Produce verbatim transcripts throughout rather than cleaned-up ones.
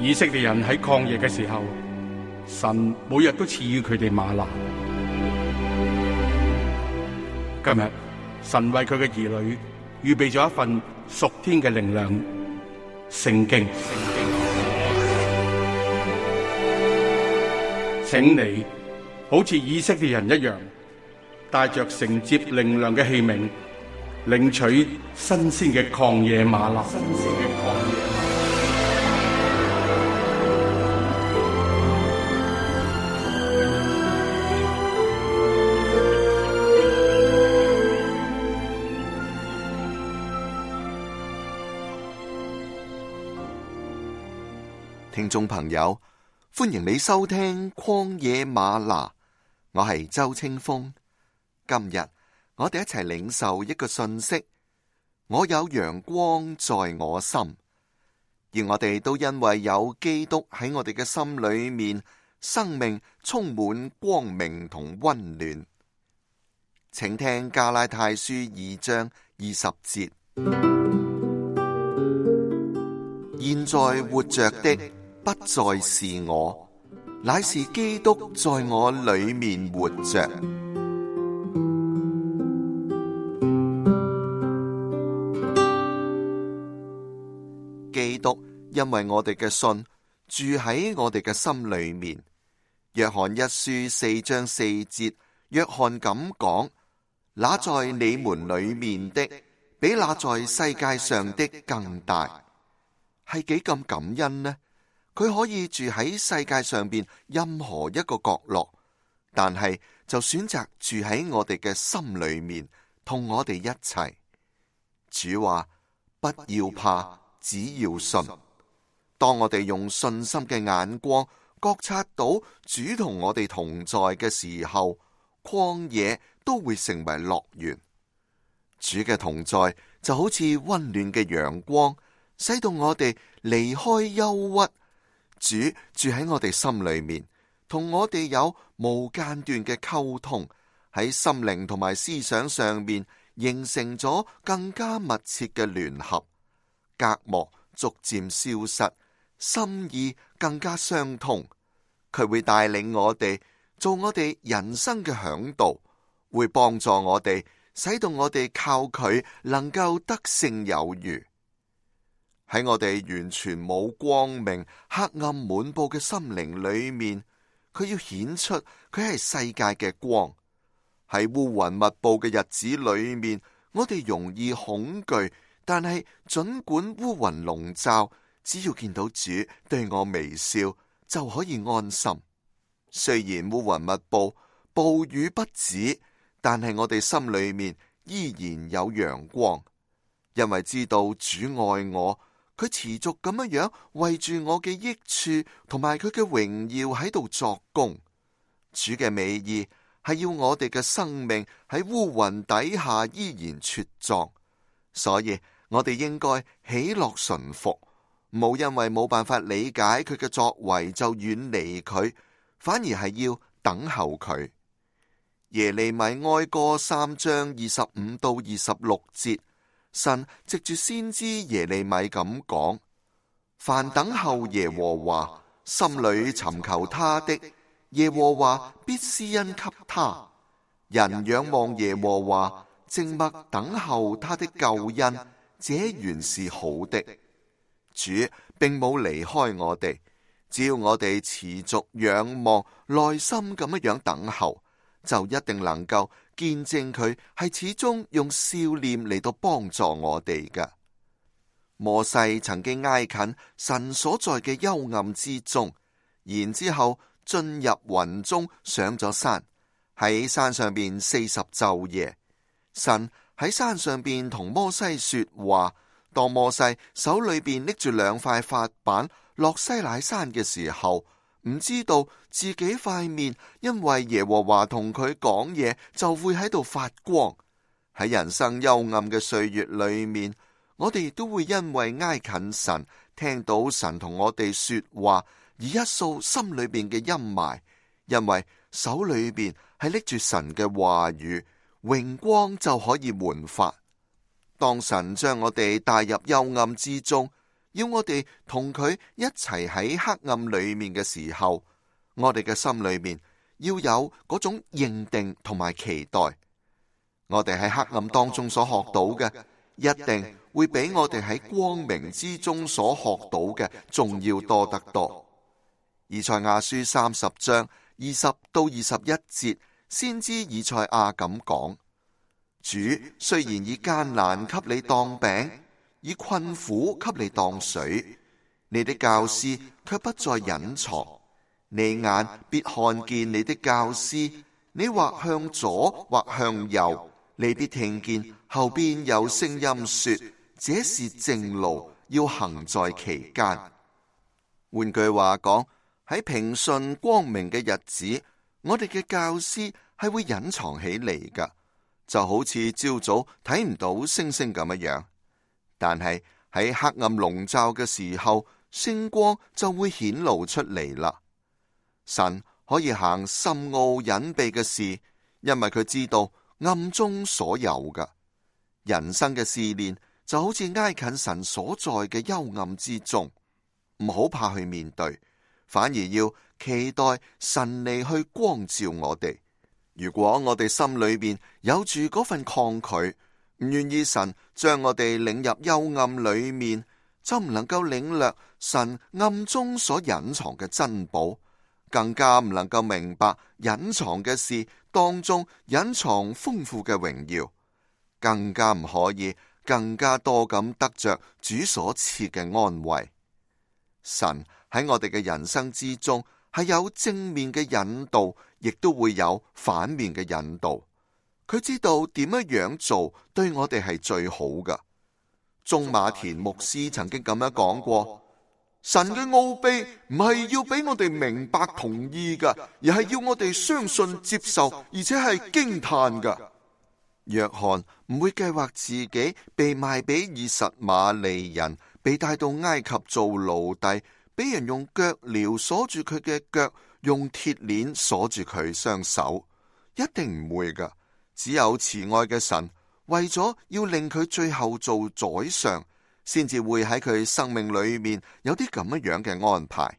以色列人喺曠野嘅時候，神每日都賜予佢哋嗎哪。今日神為佢嘅兒女預備咗一份屬天嘅靈糧——聖經。請你好似以色列人一樣，帶着承接靈糧嘅器皿，領取新鮮嘅曠野嗎哪。新鮮嘅曠野嗎哪。聽眾朋友，歡迎你收聽曠野嗎哪，我係周清風。今日我哋一齊領受一個信息：我有陽光在我心，而我哋都因為有基督喺我哋嘅心裏面，生命充滿光明同溫暖。請聽加拉太書二章二十節：現在活着的不再是我，乃是基督在我裏面活着。基督因為我哋嘅信住喺我哋嘅心裏面。約翰一書四章四節，約翰咁講：那在你們裏面的，比那在世界上的更大。係幾咁感恩呢？佢可以住喺世界上邊任何一個角落，但係就選擇住喺我哋嘅心裏面，同我哋一齊。主話：不要怕，只要信。當我哋用信心嘅眼光覺察到主同我哋同在嘅時候，曠野都會成為樂園。主嘅同在就好似溫暖嘅陽光，使到我哋離開憂鬱。主住喺我哋心裏面，同我哋有無間斷嘅溝通，喺心靈同埋思想上面形成咗更加密切嘅聯合，隔膜逐漸消失，心意更加相通。佢會帶領我哋做我哋人生嘅嚮導，會幫助我哋，使到我哋靠佢能夠得勝有餘。喺我哋完全冇光明、黑暗滿布嘅心靈裏面，佢要顯出佢係世界嘅光。喺烏雲密布嘅日子裏面，我哋容易恐懼，但係盡管烏雲籠罩，只要見到主對我微笑，就可以安心。雖然烏雲密布，暴雨不止，但係我哋心裏面依然有陽光，因為知道主愛我。佢持續咁樣樣為住我嘅益處同埋佢嘅榮耀喺度作工。主嘅美意係要我哋嘅生命喺烏雲底下依然茁壯，所以我哋應該喜樂順服，冇因為冇辦法理解佢嘅作為就遠離佢，反而係要等候佢。耶利米哀歌三章二十五到二十六節。神藉住先知耶利米咁講：凡等候耶和華，心裏尋求他的，耶和華必施恩給他。人仰望耶和華，靜默等候他的救恩，這原是好的。主並冇離開我哋，只要我哋持續仰望，耐心咁樣等候，就一定能夠見證佢係始終用笑臉嚟到幫助我哋嘅。摩西曾經挨近神所在嘅幽暗之中，然之後進入雲中上咗山，喺山上邊四十晝夜。神喺山上邊同摩西說話，當摩西手裏邊拎住兩塊法板落西乃山嘅時候，唔知道自己塊面因為耶和華同佢講嘢就會喺度發光。喺人生幽暗嘅歲月裏面，我哋都會因為挨近神，聽到神同我哋說話，而一掃心裏邊嘅陰霾，因為手裏邊係拎住神嘅話語，榮光就可以煥發。當神將我哋帶入幽暗之中，要我哋同佢一齊喺黑暗裏面嘅時候，我哋嘅心裏面要有嗰種認定同埋期待。我哋喺黑暗當中所學到嘅，一定會比我哋喺光明之中所學到嘅仲要多得多。以賽亞書三十章二十到二十一節，先知以賽亞咁講：主雖然以艱難給你當餅，以困苦給你當水，你的教師卻不再隱藏。你眼必看見你的教師，你或向左或向右，你必聽見後邊有聲音說：這是正路，要行在其間。換句話講，喺平順光明嘅日子，我哋嘅教師係會隱藏起嚟噶，就好似朝早睇唔到星星咁樣。但係喺黑暗籠罩嘅時候，星光就會顯露出嚟啦。神可以行深奧隱秘嘅事，因為佢知道暗中所有噶。人生嘅試煉就好似挨近神所在嘅幽暗之中，唔好怕去面對，反而要期待神嚟去光照我哋。如果我哋心裏邊有住嗰份抗拒，唔願意神將我哋領入幽暗裏面，就唔能夠領略神暗中所隱藏嘅珍寶，更加唔能夠明白隱藏嘅事當中隱藏豐富嘅榮耀，更加唔可以更加多咁得着主所賜嘅安慰。神喺我哋嘅人生之中係有正面嘅引導，亦都會有反面嘅引導。佢知道點樣樣做對我哋係最好噶。鍾馬田牧師曾經咁樣講過：神嘅奧秘唔係要俾我哋明白同意噶，而係要我哋相信接受，而且係驚嘆噶。約翰唔會計劃自己被賣俾以實瑪利人，被帶到埃及做奴隸，俾人用腳鐐鎖住佢嘅腳，用鐵鏈鎖住佢雙手，一定唔會噶。只有慈愛嘅神為咗要令佢最後做宰相，先至會喺佢生命裏面有啲咁樣嘅安排。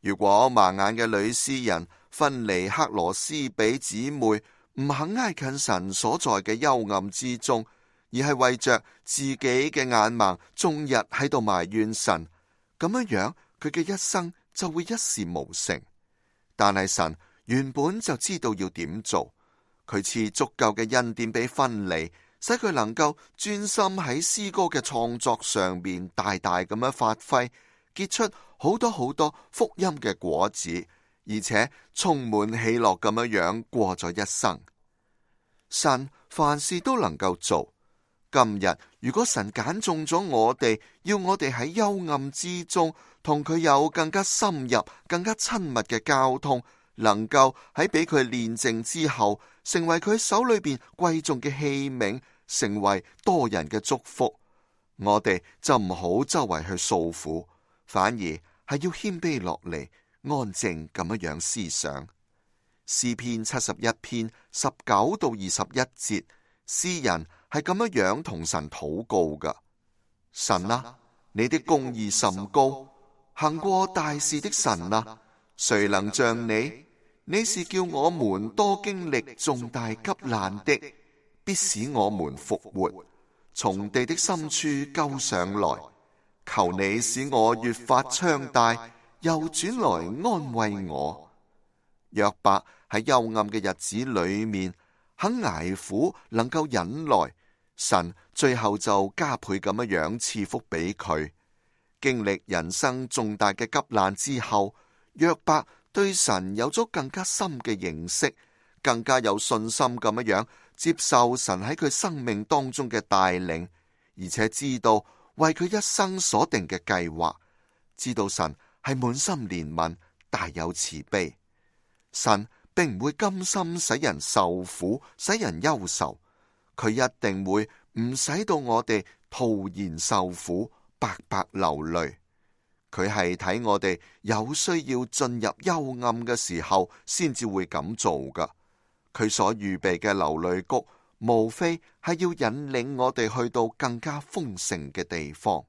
如果盲眼嘅女詩人分離克羅斯比姊妹，唔肯挨近神所在嘅幽暗之中，而係為着自己嘅眼盲，終日喺度埋怨神，咁樣樣佢嘅一生就會一事無成。但係神原本就知道要點做，佢賜足夠嘅恩典俾分離，使佢能夠專心喺詩歌嘅創作上面大大咁樣發揮，結出好多好多福音嘅果子，而且充滿喜樂咁樣樣過咗一生。神凡事都能夠做。今日如果神揀中咗我哋，要我哋喺幽暗之中同佢有更加深入、更加親密嘅交通，能夠喺俾佢煉淨之後，成為佢手裏邊貴重嘅器皿，成為多人嘅祝福，我哋就唔好周圍去訴苦，反而係要謙卑落嚟，安靜咁樣樣思想。詩篇七十一篇十九到二十一節，詩人係咁樣樣同神禱告噶：神啊，你的公義甚高，行過大事的神啊，誰能像你？你是叫我們多經歷重大急難的，必使我們復活，從地的深處救上來。求你使我越發昌大，又轉來安慰我。約伯喺幽暗嘅日子裏面肯捱苦，能夠忍耐，神最後就加倍咁樣樣賜福俾佢。經歷人生重大嘅急難之後，約伯對神有咗更加深嘅認識，更加有信心咁樣樣接受神喺佢生命當中嘅帶領，而且知道為佢一生所定嘅計劃，知道神係滿心憐憫，大有慈悲。神並唔會甘心使人受苦，使人憂愁，佢一定會唔使到我哋徒然受苦，白白流淚。佢係睇我哋有需要進入幽暗嘅時候，先至會咁做噶。佢所預備嘅流淚谷，無非係要引領我哋去到更加豐盛嘅地方。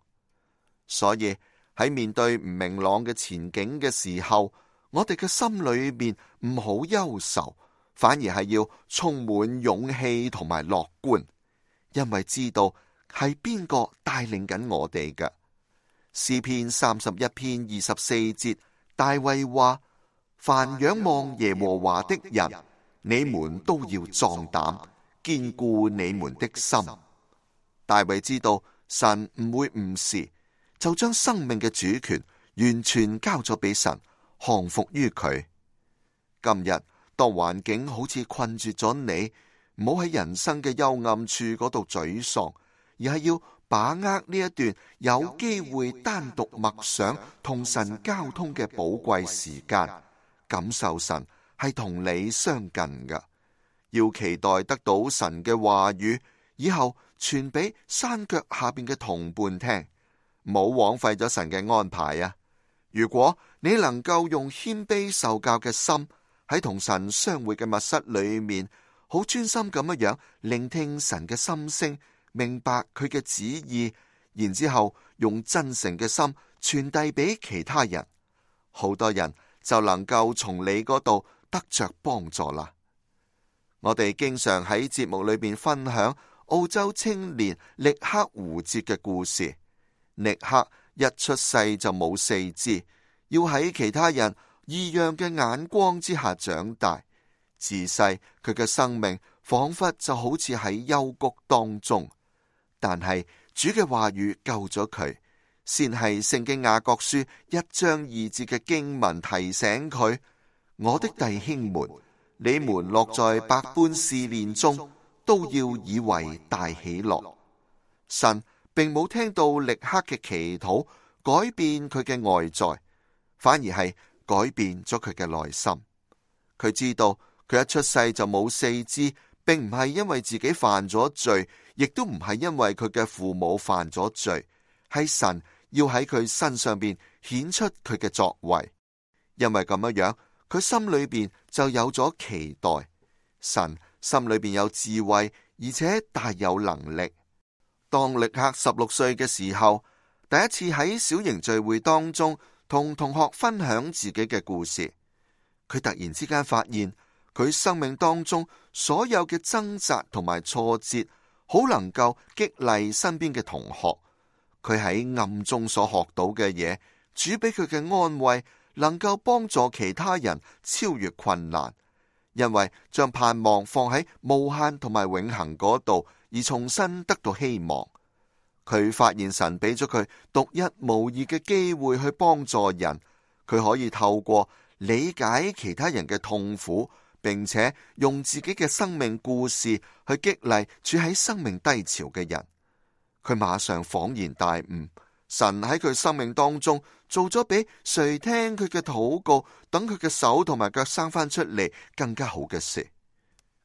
所以喺面對唔明朗嘅前景嘅時候，我哋嘅心裏面唔好憂愁，反而係要充滿勇氣同埋樂觀，因為知道係邊個帶領緊我哋嘅。詩篇三十一篇二十四節，大衛話：凡仰望耶和華的人，你們都要壯膽，堅固你們的心。大衛知道神唔會誤事，就將生命嘅主權完全交咗俾神，降服於佢。今日當環境好似困住咗你，唔好喺人生嘅幽暗處嗰度沮喪，而係要把握呢一段有機會單獨默想同神交通嘅寶貴時間，感受神係同你相近嘅。要期待得到神嘅話語，以後傳俾山腳下邊嘅同伴聽，唔好枉費咗神嘅安排啊！如果你能夠用謙卑受教嘅心喺同神相會嘅密室裏面，好專心咁樣樣聆聽神嘅心聲，明白佢嘅旨意，然之後用真誠嘅心傳遞俾其他人，好多人就能夠從你嗰度得着幫助啦。我哋經常喺節目裏邊分享澳洲青年力克胡哲嘅故事。力克一出世就冇四肢，要喺其他人異樣嘅眼光之下長大。自細佢嘅生命仿佛就好似喺幽谷當中，但係主嘅話語救咗佢。先係聖經雅各書一章二節嘅經文提醒佢：我的弟兄們，你們落在百般試煉中，都要以為大喜樂。神並冇聽到力克嘅祈禱改變佢嘅外在，反而係改變咗佢嘅內心。佢知道佢一出世就冇四肢，並唔係因為自己犯咗罪，亦都唔係因為佢嘅父母犯咗罪，係神要喺佢身上邊顯出佢嘅作為。因為咁樣樣，佢心裏邊就有咗期待。神心裏邊有智慧，而且大有能力。當力克十六歲嘅時候，第一次喺小型聚會當中同同學分享自己嘅故事，佢突然之間發現佢生命當中所有嘅掙扎同埋挫折，好能夠激勵身邊嘅同學。佢喺暗中所學到嘅嘢，主俾佢嘅安慰，能夠幫助其他人超越困難，因為將盼望放喺無限同埋永恆嗰度，而重新得到希望。佢發現神俾咗佢獨一無二嘅機會去幫助人，佢可以透過理解其他人嘅痛苦，並且用自己嘅生命故事去激勵處喺生命低潮嘅人。佢馬上恍然大悟，神喺佢生命當中做咗比誰聽佢嘅禱告，等佢嘅手同埋腳生翻出嚟更加好嘅事。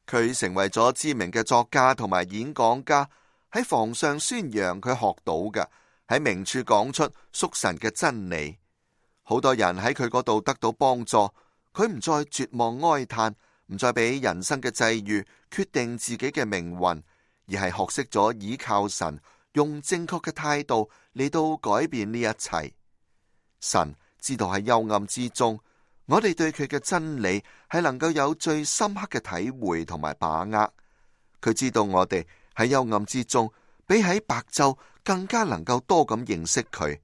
佢成為咗知名嘅作家同埋演講家，喺房上宣揚佢學到嘅，喺明處講出屬神嘅真理。好多人喺佢嗰度得到幫助，佢唔再絕望哀嘆，唔再俾人生嘅際遇決定自己嘅命運，而係學識咗倚靠神，用正確嘅態度嚟到改變呢一切。神知道喺幽暗之中，我哋對佢嘅真理係能夠有最深刻嘅體會同埋把握。佢知道我哋喺幽暗之中，比喺白晝更加能夠多咁認識佢。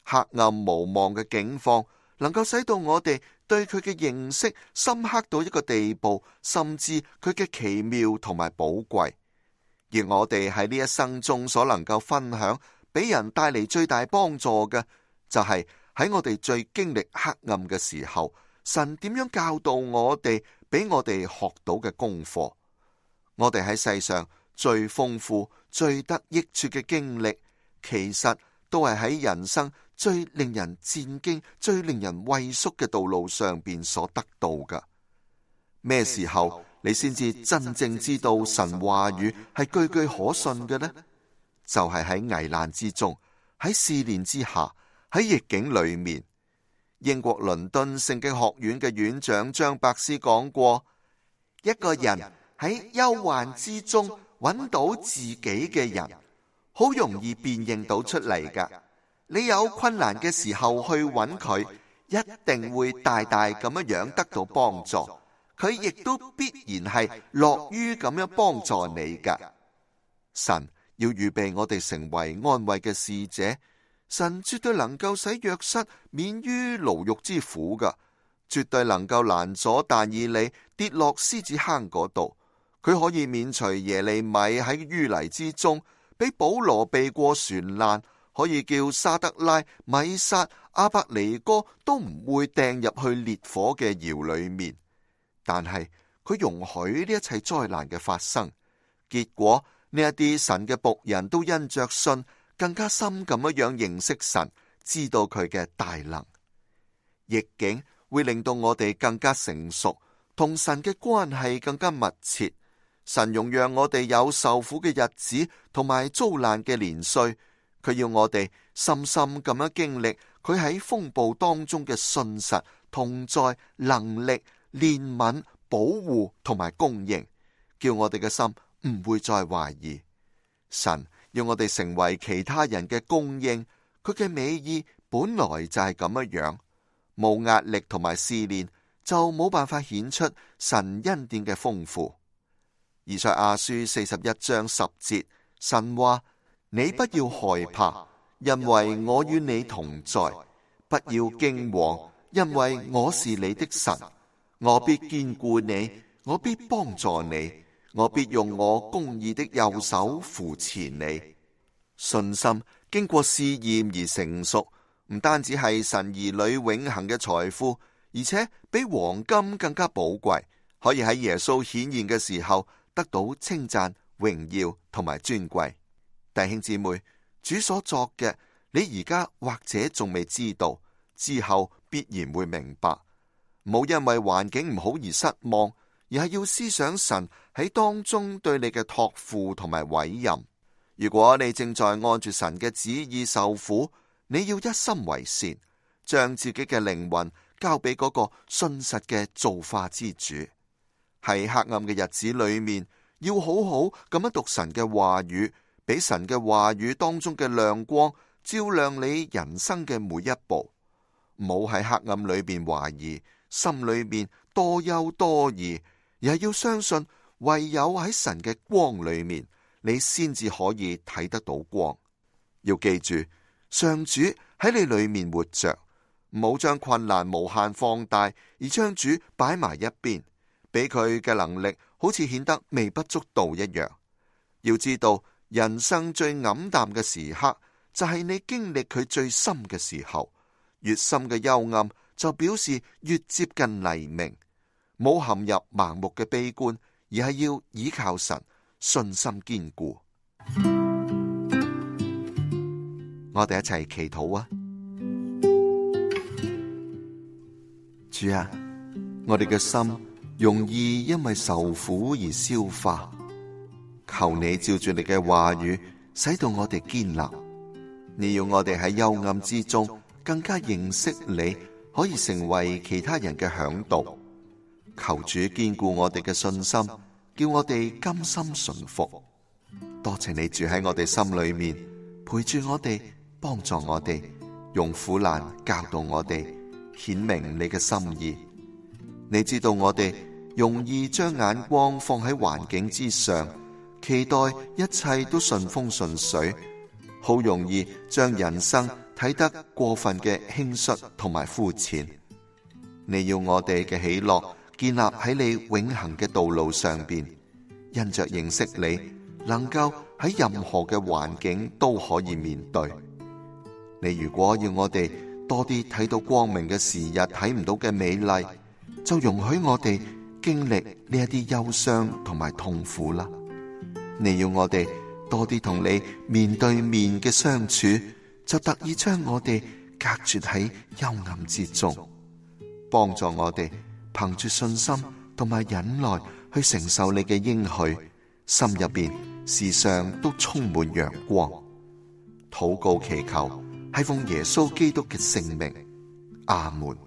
黑暗無望嘅境況，能夠使到我哋對佢嘅認識深刻到一個地步，甚至佢嘅奇妙同埋寶貴。而我哋喺呢一生中所能夠分享，俾人帶嚟最大幫助嘅，就係喺我哋最經歷黑暗嘅時候，神點樣教導我哋，俾我哋學到嘅功課。我哋喺世上最豐富、最得益處嘅經歷，其實都係喺人生最令人戰驚、最令人畏縮嘅道路上邊所得到嘅。咩時候你先至真正知道神話語係句句可信嘅呢？就係喺危難之中，喺試煉之下，喺逆境裏面。英國倫敦聖經學院嘅院長張伯斯講過，一個人喺憂患之中揾到自己嘅人，好容易辨認到出嚟噶。你有困難嘅時候去揾佢，一定會大大咁樣樣得到幫助。佢亦都必然係樂於咁樣幫助你㗎。神要預備我哋成為安慰嘅使者，神絕對能夠使約瑟免於牢獄之苦㗎，絕對能夠攔阻但以理跌落獅子坑嗰度。佢可以免除耶利米喺淤泥之中，俾保羅避過船難，可以叫沙得拉、米撒、阿伯尼哥都唔會掟入去烈火嘅窯裏面。但係佢容許呢一切災難嘅發生，結果呢一啲神嘅僕人都因着信，更加深咁樣認識神，知道佢嘅大能。逆境會令到我哋更加成熟，同神嘅關係更加密切。神容讓我哋有受苦嘅日子，同埋遭難嘅年歲。佢要我哋深深咁樣經歷佢喺風暴當中嘅信實、同在、能力、憐憫、保護同埋供應，叫我哋嘅心唔會再懷疑。神要我哋成為其他人嘅供應，佢嘅美意本來就係咁樣樣。冇壓力同埋試煉，就冇辦法顯出神恩典嘅豐富。以賽亞書四十一章十節，神話：你不要害怕，因為我與你同在；不要驚惶，因為我是你的神。我必堅固你，我必幫助你，我必用我公義的右手扶持你。信心經過試驗而成熟，唔單止係神兒女永恆嘅財富，而且比黃金更加寶貴，可以喺耶穌顯現嘅時候得到稱讚、榮耀同埋尊貴。弟兄姊妹，主所作嘅，你而家或者仲未知道，之後必然會明白。唔好因為環境唔好而失望，而係要思想神喺當中對你嘅託付同埋委任。如果你正在按住神嘅旨意受苦，你要一心為善，將自己嘅靈魂交俾嗰個信實嘅造化之主。喺黑暗嘅日子裏面，要好好咁樣讀神嘅話語，俾神嘅話語當中嘅亮光照亮你人生嘅每一步。唔好喺黑暗裏邊懷疑，心裏面多憂多疑，而係要相信，唯有喺神嘅光裏面，你先至可以睇得到光。要記住，上主喺你裏面活着，唔好將困難無限放大，而將主擺埋一邊，俾佢嘅能力好似顯得微不足道一樣。要知道，人生最黯淡嘅時刻，就係你經歷佢最深嘅時候。越深嘅幽暗，就表示越接近黎明。冇陷入盲目嘅悲觀，而係要倚靠神，信心堅固。我哋一齊祈禱啊！主啊，我哋嘅心容易因為受苦而消化，求你照住你嘅話語，使到我哋堅立。你要我哋喺幽暗之中更加認識你，可以成為其他人嘅嚮導。求主堅固我哋嘅信心，叫我哋甘心順服。多謝你住喺我哋心裏面，陪住我哋，幫助我哋，用苦難教導我哋，顯明你嘅心意。你知道我哋容易將眼光放喺環境之上，期待一切都順風順水，好容易將人生睇得過分嘅輕率同埋膚淺。你要我哋嘅喜樂建立喺你永恆嘅道路上邊，因着認識你，能夠喺任何嘅環境都可以面對。你如果要我哋多啲睇到光明嘅時日睇唔到嘅美麗，就容許我哋經歷呢一啲憂傷同埋痛苦啦。你要我哋多啲同你面對面嘅相處，就特意將我哋隔絕喺幽暗之中，幫助我哋憑住信心同埋忍耐去承受你嘅應許，心入邊時常都充滿陽光。禱告祈求係奉耶穌基督嘅聖名，阿門。